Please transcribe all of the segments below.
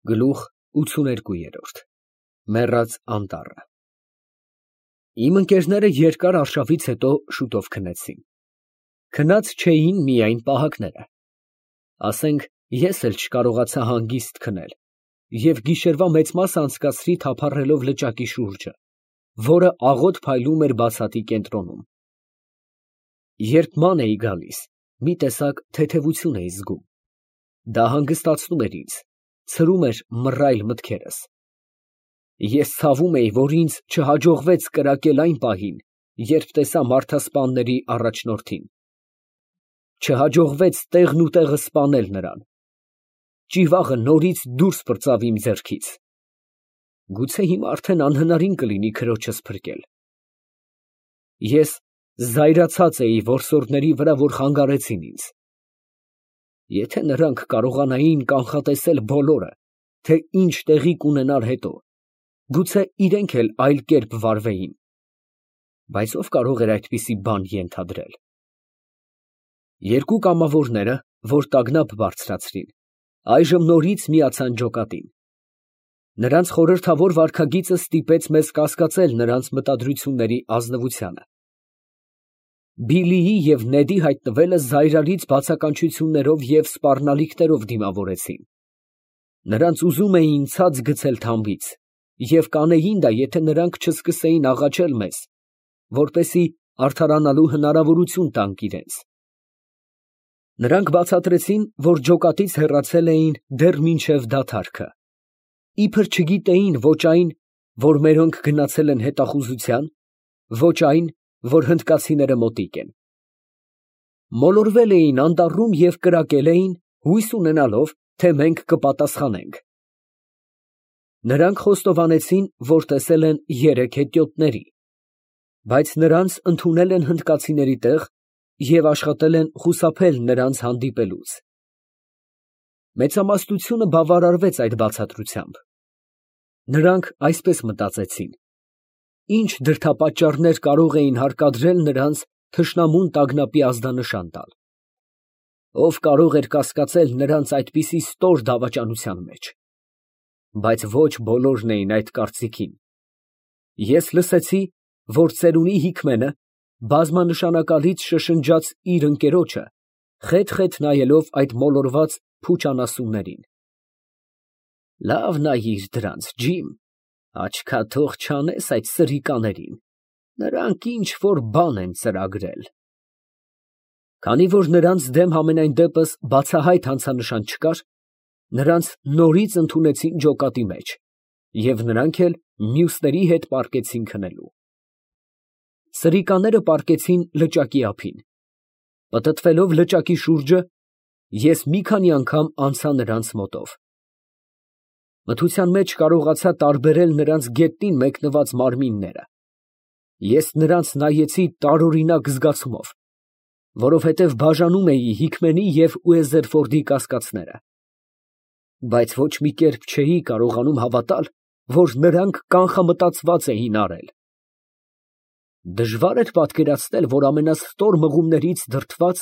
Գլուխ 82 Մեռած անտառը։ Իմ ընկերները երկար արշավից հետո շուտով քնեցին։ Քնած չէին միայն պահակները։ Ասենք, ես էլ չկարողացա հանգիստ քնել և գիշերվա մեծ մասը անցկացրի թափառելով լճակի շուրջը, որը աղոտ փայլում էր բացատի կենտրոնում։ Երբ ման էի գալիս, մի տեսակ թեթևություն էի զգում։ Դա հանգստացնում էր ինձ, ցրում էր մռայլ մտքերս։ Ես ցավում էի, որ ինձ չհաջողվեց կրակել այն պահին, երբ տեսա մարդասպանների առաջնորդին։ Չհաջողվեց տեղն ու տեղը սպանել նրան։ Ճիվաղը նորից դուրս պրծավ իմ ձեռքից։ Գուցե հիմա արդեն անհնարին կլինի քրոջս փրկել։ Ես զայրացած էի որսորդների վրա, որ խանգարեցին ինձ։ Եթե նրանք կարողանային կանխատեսել բոլորը, թե ինչ տեղի կունենար հետո, գուցե իրենք էլ այլ կերպ վարվեին, բայց ով կարող էր այդպիսի բան ենթադրել։ Երկու կամավորները, որ տագնապ բարձրացրին, այժմ նորից միացան ջոկատին։ Նրանց խորհրդավոր վարքագիծը ստիպեց մեզ կասկածել նրանց մտադրությունների ազնվությանը։ Բիլիի և Նեդի հայտնվելը զայրալից բացականչություններով և սպառնալիքներով դիմավորեցին։ Նրանց ուզում էին ցած գցել թամբից և կանեին դա, եթե նրանք չսկսեին աղաչել մեզ, որպեսզի արդարանալու հնարավորություն տանք իրենց։ Նրանք բացատրեցին, որ ջոկատից հեռացել էին դեռ մինչև դադարքը, իբր չգիտեին ոչ այն, որ մերոնք գնացել են հետախուզության, ոչ այն, որ հնդկացիները մոտիկ են։ Մոլորվել էին անտառում և կրակել էին, հույս ունենալով, թե մենք կպատասխանենք։ Նրանք խոստովանեցին, որ տեսել են 3 հետիոտների, բայց նրանց ընդունել են հնդկացիների տեղ և աշխատել են խուսափել նրանց հանդիպելուց։ Մեծամասնությունը բավարարվեց այդ բացատրությամբ։ Նրանք այսպես մտածեցին. ինչ դրդապատճառներ կարող էին հարկադրել նրանց թշնամուն տագնապի ազդանշան տալ։ Ով կարող էր կասկածել նրանց այդպիսի ստոր դավաճանության մեջ։ Բայց ոչ բոլորն էին այդ կարծիքին։ Ես լսեցի, որ ծերունի Հիքմենը բազմանշանակալից շշնջաց իր ընկերոջը, խեթ նայելով այդ մոլորված փուչ անասուններին։ Լավ նայիր դրանց, ջիմ, աչքաթող չանես այդ սրիկաներին, նրանք ինչ որ բան են ծրագրել։ Քանի որ նրանց դեմ համենայն դեպս բացահայտ հանցանշան չկար, նրանց նորից ընդունեցին ջոկատի մեջ, և նրանք էլ մյուսների հետ պառկեցին քնելու։ Սրիկաները պառկեցին լճակի ափին։ Պտտվելով լճակի շուրջը, ես մի քանի անգամ անցա նրանց մոտով։ Մթության մեջ կարողացա տարբերել նրանց գետնին մեկնված մարմինները։ Ես նրանց նայեցի տարօրինակ զգացումով, որովհետև բաժանում էի Հիքմենի և Ուեզերֆորդի կասկածները։ Բայց ոչ մի կերպ չէի կարողանում հավատալ, որ նրանք կանխամտածված էին արել։ Դժվար էր պատկերացնել, որ ամենաստոր մղումներից դրդված,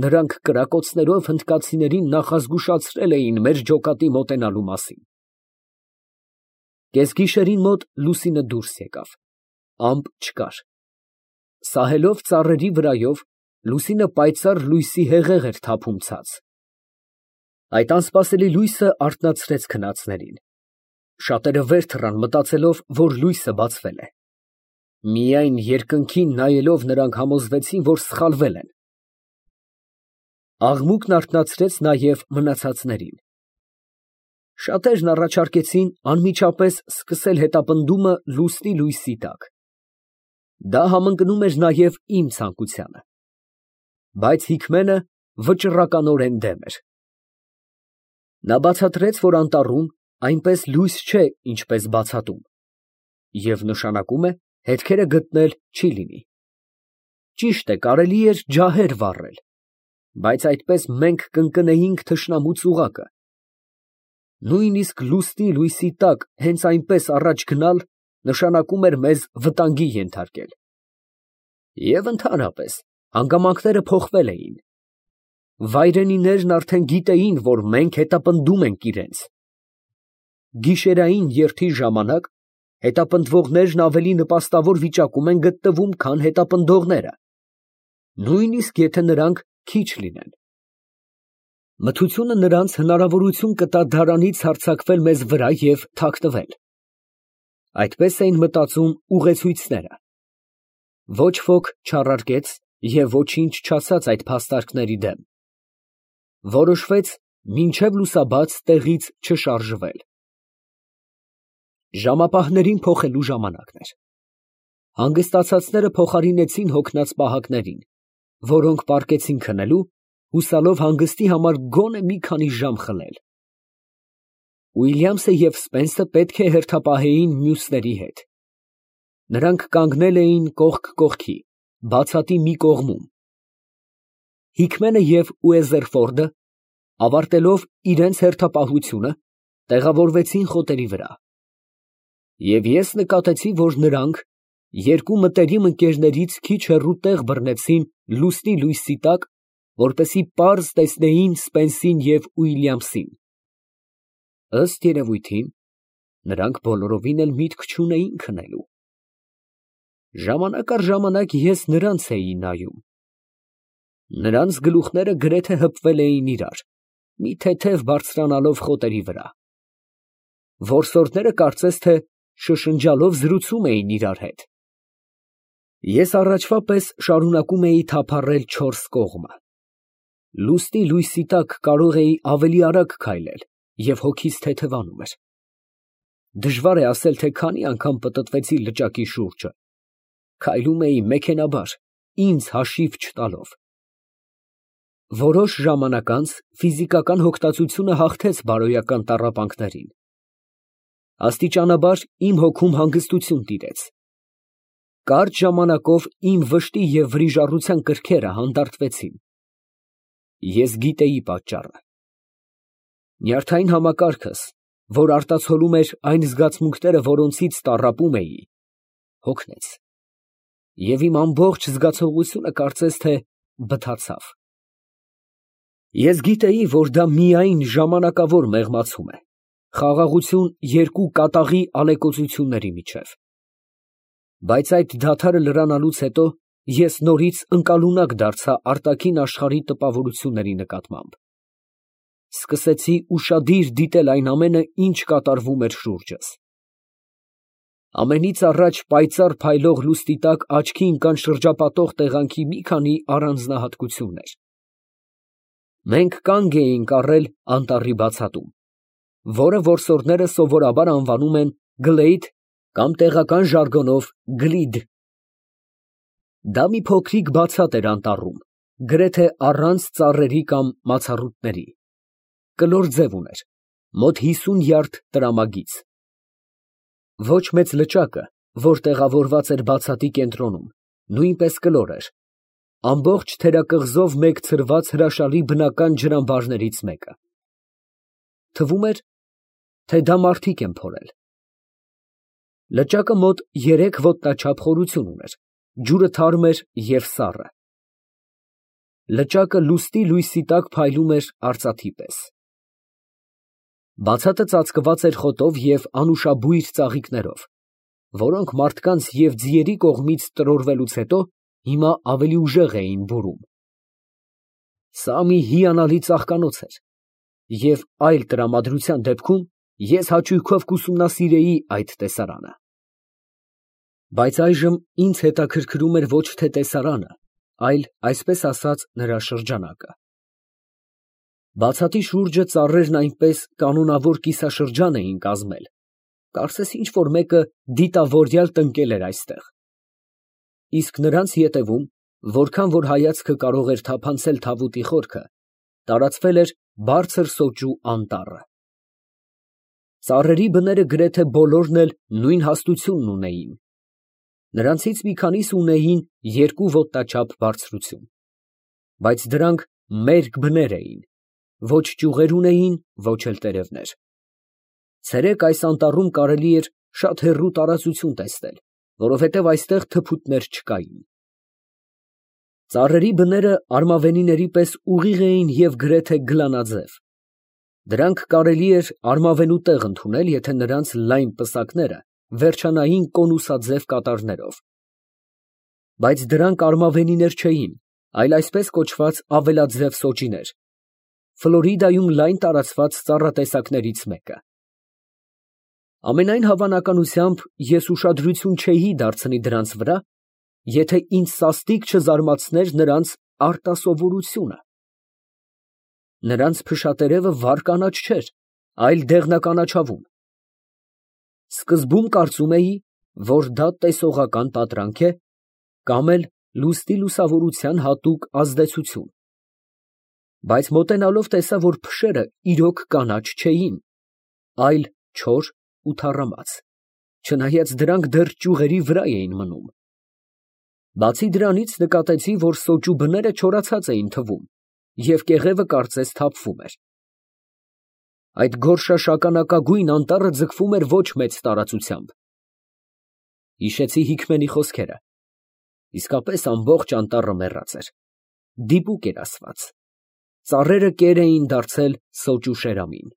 նրանք կրակոցներով հնդկացիներին նախազգուշացրել էին մեր ջոկատի մոտենալու մասին։ Կեսգիշերին մոտ լուսինը դուրս եկավ, ամպ չկար։ Սահելով ծառերի վրայով, լուսինը պայծառ լույսի հեղեղ էր թափում ցած։ Այդ անսպասելի լույսը արթնացրեց քնածներին։ Շատերը վեր թռան, մտածելով, որ լույսը բացվել է։ Միայն երկնքին նայելով նրանք համոզվեցին, որ սխալվել են։ Աղմուկն արթնացրեց նաև մնացածներին։ Շատերն առաջարկեցին անմիջապես սկսել հետապնդումը լուսնի լույսի տակ։ Դա համընկնում էր նաև իմ ցանկությանը։ Բայց Հիքմենը վճռականորեն դեմ էր։ Նա բացատրեց, որ անտառում այնպես լույս չէ, ինչպես բացատում, և նշանակում է հետքերը գտնել չի լինի։ Ճիշտ է, կարելի էր ջահեր վառել, բայց այդպես մենք կընկնեինք թշնամու ծուղակը։ Նույնիսկ լուսնի լույսի տակ հենց այնպես առաջ գնալ նշանակում էր մեզ վտանգի ենթարկել։ Եվ ընդհանրապես հանգամանքները փոխվել էին։ Վայրենիներն արդեն գիտեին, որ մենք հետապնդում ենք իրենց։ գիշերային երթի ժամանակ հետապնդվողներն ավելի նպաստավոր վիճակում են գտնվում, քան հետապնդողները, նույնիսկ եթե նրանք քիչ լինեն։ Մթությունը նրանց հնարավորություն կտա դարանից հարձակվել մեզ վրա և թաքնվել։ Այդպես էին մտածում ուղեցույցները։ Ոչ ոք չառարկեց և ոչինչ չասաց այդ փաստարկների դեմ։ Որոշվեց մինչև լուսաբաց տեղից չշարժվել։ Ժամապահներին փոխելու ժամանակն էր։ Հանգստացածները փոխարինեցին հոգնած պահակներին, որոնք պառկեցին քնելու, հուսալով հանգստի համար գոնե մի քանի ժամ խլել։ Ուիլյամսը և Սպենսը պետք է հերթապահեին մյուսների հետ։ Նրանք կանգնել էին կողք կողքի, բացատի մի կողմում։ Հիկմենը և Ուեզերֆորդը, ավարտելով իրենց հերթապահությունը, տեղավորվեցին խոտերի վրա։ Եվ ես նկատեցի, որ նրանք երկու մտերիմ ընկերներից քիչ հեռու տեղ բռնեցին լուսնի լույսի տակ, որպեսզի պարզ տեսնեին Սպենսին և Ուիլյամսին։ Ըստ երևույթին, նրանք բոլորովին էլ միտք չունեին քնելու։ Ժամանակ առ ժամանակ ես նրանց էի նայում։ Նրանց գլուխները գրեթե հպվել էին իրար, մի թեթև բարձրանալով խոտերի վրա։ Որսորդները կարծես թե շշնջալով զրուցում էին իրար հետ։ Ես առաջվա պես շարունակում էի թափառել չորս կողմը։ Լուսնի լույսի տակ կարող էի ավելի արագ քայլել և հոգիս թեթևանում էր։ Դժվար է ասել, թե քանի անգամ պտտվեցի լճակի շուրջը։ Քայլում էի մեքենայաբար, ինձ հաշիվ չտալով։ Որոշ ժամանակ անց ֆիզիկական հոգտածությունը հաղթեց բարոյական տառապանքներին։ Աստիճանաբար իմ հոգում հանգստություն տիրեց։ Կարճ ժամանակով իմ վշտի և վրիժառության կրքերը հանդարտվեցին։ Ես գիտեի պատճառը։ Նյարդային համակարգս, որ արտացոլում էր այն զգացմունքները, որոնցից տառապում էի, հոգնեց, և իմ ամբողջ զգացողությունը կարծես թե բթացավ։ Ես գիտեի, որ դա միայն ժամանակավոր մեղմացում է, խաղաղություն երկու կատաղի ալեկոծությունների միջև։ Բայց այդ դադարը լրանալուց հետո ես նորից ընկալունակ դարձա արտաքին աշխարհի տպավորությունների նկատմամբ։ Սկսեցի ուշադիր դիտել այն ամենը, ինչ կատարվում էր շուրջս։ Ամենից առաջ պայծառ փայլող լուսնի տակ աչքի ընկան շրջապատող տեղանքի մի քանի առանձնահատկություններ։ Մենք կանգ էինք առել անտառի բացատում, որը որսորդները սովորաբար անվանում են Գլեյդ կամ տեղական ժարգոնով Գլիդ։ Դա մի փոքրիկ բացատ էր անտառում, գրեթե առանց ծառերի կամ մացառուտների։ Կլոր ձև ուներ, մոտ 50 յարդ տրամագիծ։ Ոչ մեծ լճակը, որ տեղավորված էր բացատի կենտրոնում, նույնպես կլոր էր, ամբողջ թերակղզով մեկ ցրված հրաշալի բնական ջրամբարներից մեկը։ Թվում էր, թե դա մարդիկ են փորել։ Լճակը մոտ 3 ոտնաչափ խորություն ուներ, ջուրը թարմ էր և սառը։ Լճակը լուսնի լույսի տակ փայլում էր արծաթի պես։ Բացատը ծածկված էր խոտով և անուշաբույր ծաղիկներով, որոնք մարդկանց և ձիերի կողմից տրորվելուց հետո հիմա ավելի ուժեղ էին բուրում։ Սա մի հիանալի ծաղկանոց էր, և այլ տրամադրության դեպքում ես հաճույքով կուսումնասիրեի այդ տեսարանը։ Բայց այժմ ինձ հետաքրքրում էր ոչ թե տեսարանը, այլ, այսպես ասած, նրա շրջանակը։ Բացատի շուրջը ծառերն այնպես կանոնավոր կիսաշրջան էին կազմել, կարծես ինչ֊որ մեկը դիտավորյալ տնկել էր այստեղ։ Իսկ նրանց ետևում, որքան որ հայացքը կարող էր թափանցել թավուտի խորքը, տարածվել էր բարձր սոճու անտառը։ Ծառերի բները գրեթե բոլորն էլ նույն հաստությունն ունեին։ Նրանցից մի քանիսը ունեին 2 ոտնաչափ բարձրություն, բայց դրանք մերկ բներ էին, ոչ ճյուղեր ունեին, ոչ էլ տերևներ։ Ցերեկ այս անտառում կարելի էր շատ հեռու տարածություն տեսնել, որովհետև այստեղ թփուտներ չկային։ Ծառերի բները արմավենիների պես ուղիղ էին և գրեթե գլանաձև։ Դրանք կարելի էր արմավենու տեղ ընդունել, եթե նրանց լայն պսակները վերջանային կոնուսաձև կատարներով, բայց դրանք արմավենիներ չէին, այլ այսպես կոչված ավելաձև սոճիներ, Ֆլորիդայում լայն տարածված ծառատեսակներից մեկը։ Ամենայն հավանականությամբ ես ուշադրություն չէի դարձնի դրանց վրա, եթե ինձ սաստիկ չզարմացներ նրանց արտասովորությունը։ Նրանց փշատերևը վառ կանաչ չէր, այլ դեղնականաչավուն։ Սկզբում կարծում էի, որ դա տեսողական պատրանք է կամ էլ լուստի լուսավորության հատուկ ազդեցություն, բայց մոտենալով տեսա, որ փշերը իրոք կանաչ չէին, այլ չոր ու թառամած, չնայած դրանք դեռ ճյուղերի վրա էին մնում։ Բացի դրանից նկատեցի, որ սոճու բները չորացած էին թվում և կեղևը կարծես թափվում էր։ Այդ գորշաշագանակագույն անտառը ձգվում էր ոչ մեծ տարածությամբ։ Հիշեցի Հիքմենի խոսքերը. իսկապես ամբողջ անտառը մեռած էր, դիպուկ էր ասված, ծառերը կեր էին դարձել սոճու շերամին։